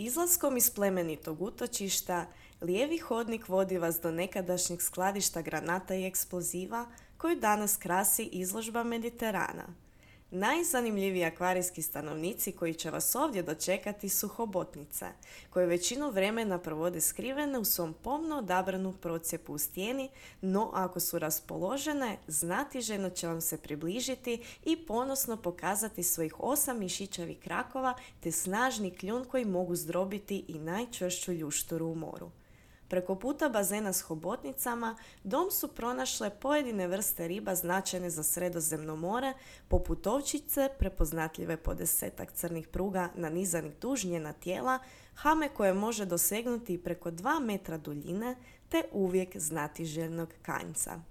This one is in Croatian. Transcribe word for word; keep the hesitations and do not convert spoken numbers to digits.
Izlaskom iz plemenitog utočišta, lijevi hodnik vodi vas do nekadašnjeg skladišta granata i eksploziva koju danas krasi izložba Mediterana. Najzanimljiviji akvarijski stanovnici koji će vas ovdje dočekati su hobotnice, koje većinu vremena provode skrivene u svom pomno odabranu procjepu u stijeni, no ako su raspoložene, znatiželjno će vam se približiti i ponosno pokazati svojih osam mišićavih krakova te snažni kljun koji mogu zdrobiti i najčvršću ljušturu u moru. Preko puta bazena s hobotnicama dom su pronašle pojedine vrste riba značajne za Sredozemno more, poput ovčice prepoznatljive po desetak crnih pruga nanizanih duž njena tijela, hame koje može dosegnuti preko dva metra duljine, te uvijek znatiželjnog kanjca.